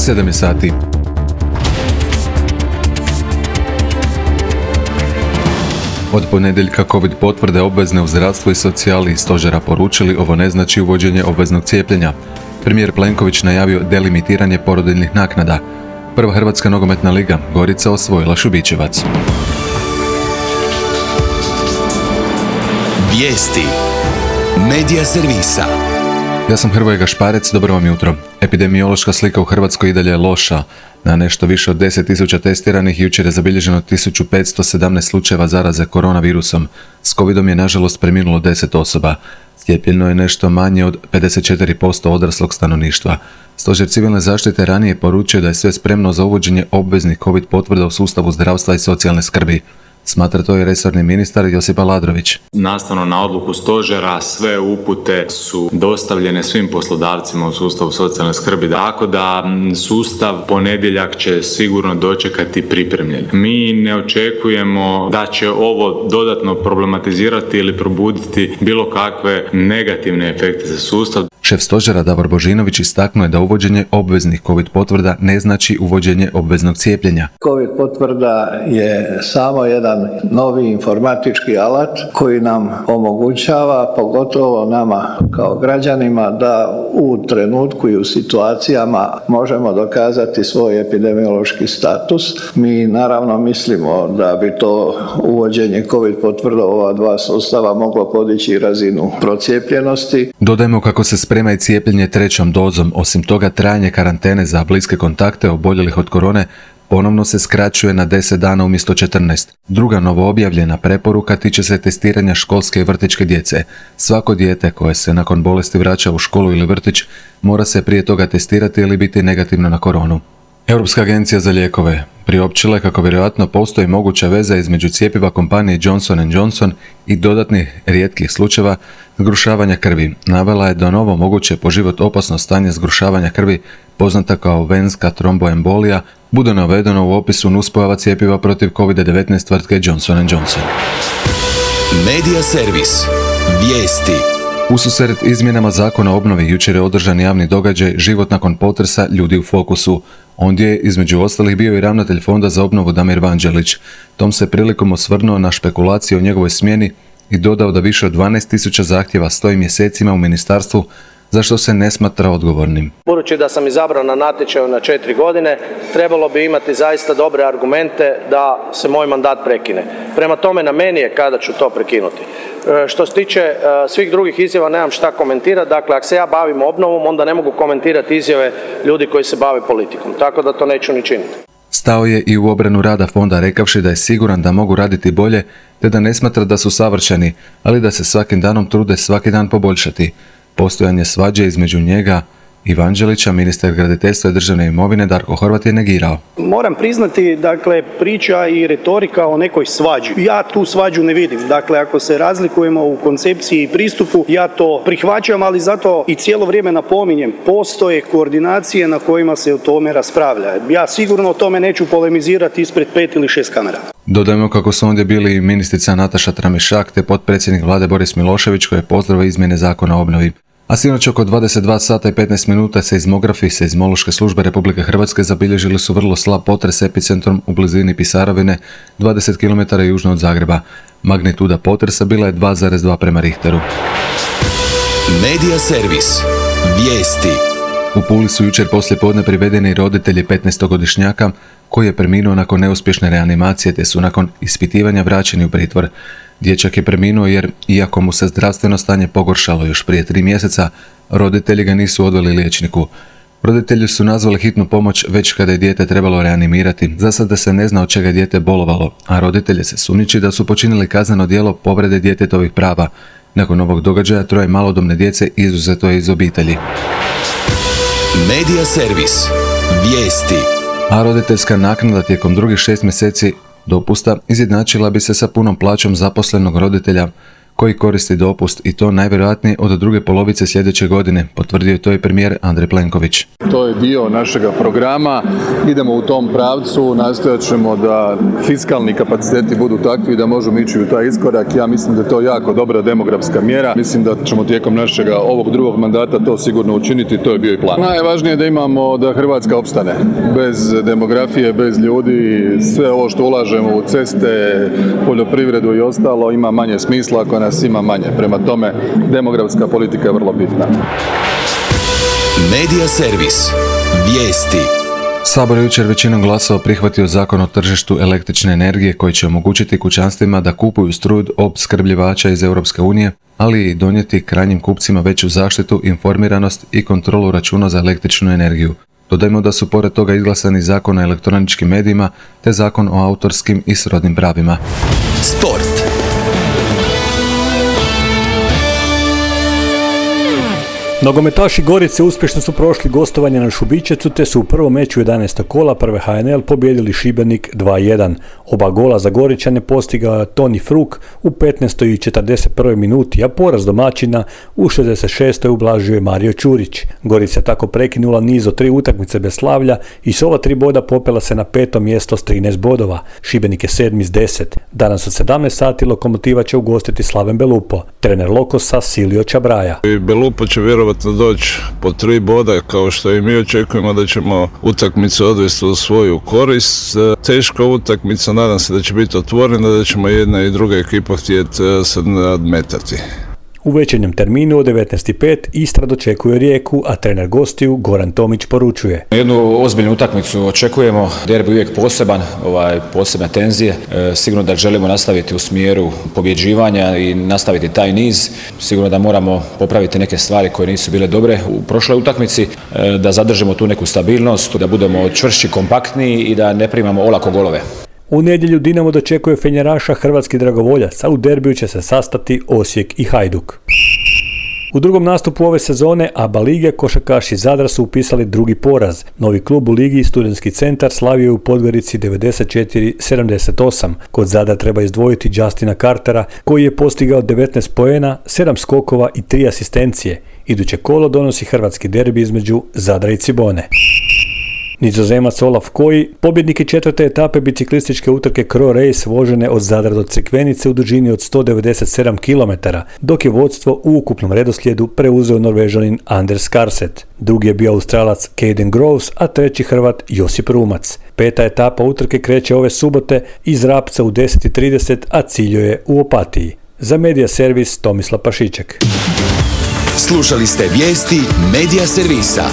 7 sati. Od ponedjeljka COVID potvrde obvezne u zdravstvu i socijali i stožera poručili ovo ne znači uvođenje obveznog cijepljenja. Premijer Plenković najavio delimitiranje porodiljnih naknada. Prva Hrvatska nogometna liga, Gorica osvojila Šubićevac. Vijesti Medija servisa. Ja sam Hrvoje Gašparec, dobro vam jutro. Epidemiološka slika u Hrvatskoj i dalje je loša. Na nešto više od 10.000 testiranih jučer je zabilježeno 1517 slučajeva zaraze koronavirusom. S covidom je nažalost preminulo 10 osoba. Cijepljeno je nešto manje od 54% odraslog stanovništva. Stožer civilne zaštite ranije poručio da je sve spremno za uvođenje obveznih covid potvrda u sustavu zdravstva i socijalne skrbi. Smatra to i resorni ministar Josip Aladrović. Nastavno na odluku stožera sve upute su dostavljene svim poslodavcima u sustavu socijalne skrbi, tako da sustav ponedjeljak će sigurno dočekati pripremljen. Mi ne očekujemo da će ovo dodatno problematizirati ili probuditi bilo kakve negativne efekte za sustav. Šef stožera Davor Božinović istaknuo je da uvođenje obveznih covid potvrda ne znači uvođenje obveznog cijepljenja. Covid potvrda je samo jedan novi informatički alat koji nam omogućava, pogotovo nama kao građanima, da u trenutku i u situacijama možemo dokazati svoj epidemiološki status. Mi naravno mislimo da bi to uvođenje covid potvrda ova dva sustava moglo podići razinu procijepljenosti. Dodajmo kako se sprema i cijepljenje trećom dozom. Osim toga, trajanje karantene za bliske kontakte oboljelih od korone ponovno se skraćuje na 10 dana umjesto 14. Druga novoobjavljena preporuka tiče se testiranja školske i vrtićke djece. Svako dijete koje se nakon bolesti vraća u školu ili vrtić mora se prije toga testirati ili biti negativno na koronu. Europska agencija za lijekove priopćila je kako vjerojatno postoji moguća veza između cjepiva kompanije Johnson & Johnson i dodatnih rijetkih slučajeva zgrušavanja krvi. Navela je da novo moguće po život opasno stanje zgrušavanja krvi, poznata kao venska tromboembolija, bude navedeno u opisu nuspojava cjepiva protiv COVID-19 tvrtke Johnson & Johnson. Medija servis. Vijesti. Ususret izmjenama zakona o obnovi jučer je održan javni događaj Život nakon potresa, ljudi u fokusu. Ondje je između ostalih bio i ravnatelj Fonda za obnovu Damir Vanđelić. Tom se prilikom osvrnuo na špekulacije o njegovoj smjeni i dodao da više od 12.000 zahtjeva stoji mjesecima u ministarstvu, za što se ne smatra odgovornim. Budući da sam izabran na natječaju na 4 godine, trebalo bi imati zaista dobre argumente da se moj mandat prekine. Prema tome, na meni je kada ću to prekinuti. Što se tiče svih drugih izjava, nemam šta komentirati. Dakle, ako se ja bavim obnovom, onda ne mogu komentirati izjave ljudi koji se bave politikom. Tako da to neću ni činiti. Stao je i u obranu rada fonda rekavši da je siguran da mogu raditi bolje, te da ne smatra da su savršeni, ali da se svakim danom trude svaki dan poboljšati. Postojanje svađe između njega i Vanđelića, ministar graditeljstva i državne imovine Darko Horvat je negirao. Moram priznati, priča i retorika o nekoj svađi. Ja tu svađu ne vidim. Ako se razlikujemo u koncepciji i pristupu, ja to prihvaćam, ali zato i cijelo vrijeme napominjem, postoje koordinacije na kojima se o tome raspravlja. Ja sigurno o tome neću polemizirati ispred 5 ili 6 kamera. Dodajmo kako su ondje bili ministrica Nataša Tramišak te potpredsjednik vlade Boris Milošević koji je pozdravio izmjene zakona o obnovi. A sinoć oko 22 sata i 15 minuta seizmografi Seizmološke službe Republike Hrvatske zabilježili su vrlo slab potres epicentrom u blizini Pisarovine, 20 km južno od Zagreba. Magnituda potresa bila je 2,2 prema Richteru. Medija servis. Vijesti. U Puli su jučer poslijepodne privedeni roditelji 15-godišnjaka koji je preminuo nakon neuspješne reanimacije te su nakon ispitivanja vraćeni u pritvor. Dječak je preminuo jer, iako mu se zdravstveno stanje pogoršalo još prije 3 mjeseca, roditelji ga nisu odveli liječniku. Roditelji su nazvali hitnu pomoć već kada je dijete trebalo reanimirati. Za sada se ne zna od čega je dijete bolovalo, a roditelje se sumnjiči da su počinili kazneno djelo povrede djetetovih prava. Nakon ovog događaja 3 malodobne djece izuzeto je iz obitelji. Medija servis. Vijesti. A roditeljska naknada tijekom drugih 6 mjeseci dopusta izjednačila bi se sa punom plaćom zaposlenog roditelja koji koristi dopust i to najvjerojatnije od druge polovice sljedeće godine, potvrdio je to i premijer Andrej Plenković. To je dio našega programa, idemo u tom pravcu, nastojat ćemo da fiskalni kapaciteti budu takvi da možemo ići u taj iskorak. Ja mislim da je to jako dobra demografska mjera. Mislim da ćemo tijekom našega ovog drugog mandata to sigurno učiniti, to je bio i plan. Najvažnije je da imamo da Hrvatska opstane. Bez demografije, bez ljudi, sve ovo što ulažemo u ceste, poljoprivredu i ostalo ima manje smisla ako nas ima manje. Prema tome, demografska politika je vrlo bitna. Medija servis. Vijesti. Sabor je jučer većinom glasova prihvatio zakon o tržištu električne energije koji će omogućiti kućanstvima da kupuju struju od opskrbljivača iz Europske unije, ali i donijeti krajnjim kupcima veću zaštitu, informiranost i kontrolu računa za električnu energiju. Dodajmo da su pored toga izglasani zakon o elektroničkim medijima te zakon o autorskim i srodnim pravima. Sport. Nogometaši Gorice uspješno su prošli gostovanje na Šubićecu te su u prvom meču 11. kola prve HNL pobijedili Šibenik 2-1. Oba gola za Goričane postigao Toni Fruk u 15. i 41. minuti, a poraz domaćina u 66. ublažio je Mario Ćurić. Gorica je tako prekinula niz od 3 utakmice bez slavlja i s ova 3 boda popela se na 5. mjesto s 13 bodova. Šibenik je 7. s 10. Danas od 17 sati Lokomotiva će ugostiti Slaven Belupo. Trener Lokosa Silio Čabraja. Belupo će vjerovatno doći po 3 boda, kao što i mi očekujemo da ćemo utakmicu odvesti u svoju korist. Teška utakmica, nadam se da će biti otvorena, da ćemo jedna i druga ekipa htjeti se nadmetati. U večernjem terminu od 19.05 Istra dočekuje Rijeku, a trener gostiju Goran Tomić poručuje. Jednu ozbiljnu utakmicu očekujemo, derbi uvijek poseban, posebne tenzije. Sigurno da želimo nastaviti u smjeru pobjeđivanja i nastaviti taj niz. Sigurno da moramo popraviti neke stvari koje nisu bile dobre u prošloj utakmici, da zadržimo tu neku stabilnost, da budemo čvršći, kompaktniji i da ne primamo olako golove. U nedjelju Dinamo dočekuje Fenjeraša Hrvatski dragovoljac, a u derbiju će se sastati Osijek i Hajduk. U drugom nastupu ove sezone ABA lige košarkaši Zadra su upisali drugi poraz. Novi klub u ligi Studentski centar slavio je u Podgorici 94-78. Kod Zadra treba izdvojiti Justina Cartera koji je postigao 19 poena, 7 skokova i 3 asistencije. Iduće kolo donosi hrvatski derbi između Zadra i Cibone. Nizozemac Olaf Koji, pobjednik je 4. etape biciklističke utrke Kro Race vožene od Zadra do Crikvenice u dužini od 197 km, dok je vodstvo u ukupnom redoslijedu preuzeo Norvežanin Anders Karset. Drugi je bio Australac Caden Groves, a treći Hrvat Josip Rumac. 5. etapa utrke kreće ove subote iz Rapca u 10:30, a ciljuje u Opatiji. Za Medija servis Tomislav Pašiček. Slušali ste vijesti Medija servisa.